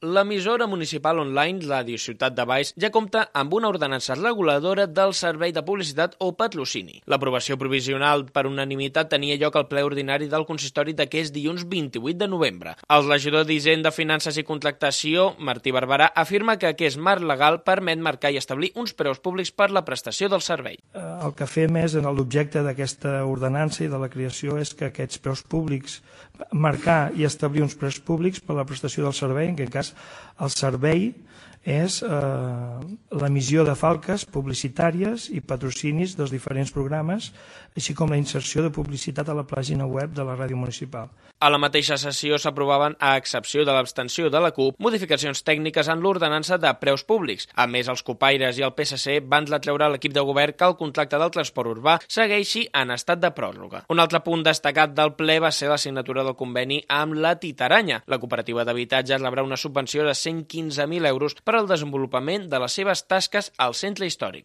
L'emissora municipal online, Ràdio Ciutat de Valls, ja compta amb una ordenança reguladora del servei de publicitat o patrocini. L'aprovació provisional per unanimitat tenia lloc al ple ordinari del consistori d'aquest dilluns 28 de novembre. El regidor d'Hisenda, Finances i Contractació, Martí Barberà, afirma que aquest marc legal permet marcar i establir uns preus públics per la prestació del servei. El que fem és, en l'objecte d'aquesta ordenança i de la creació, és que aquests preus públics, marcar i establir uns preus públics per la prestació del servei, en aquest cas el servei és l'emissió de falques publicitàries i patrocinis dels diferents programes, així com la inserció de publicitat a la pàgina web de la ràdio municipal. A la mateixa sessió s'aprovaven, a excepció de l'abstenció de la CUP, modificacions tècniques en l'ordenança de preus públics. A més, els copaires i el PSC van retreure a l'equip de govern que el contracte del transport urbà segueixi en estat de pròrroga. Un altre punt destacat del ple va ser la signatura del conveni amb la Titaranya. La cooperativa d'habitatges rebrà una subvenció de 115.000 euros per al desenvolupament de les seves tasques al centre històric.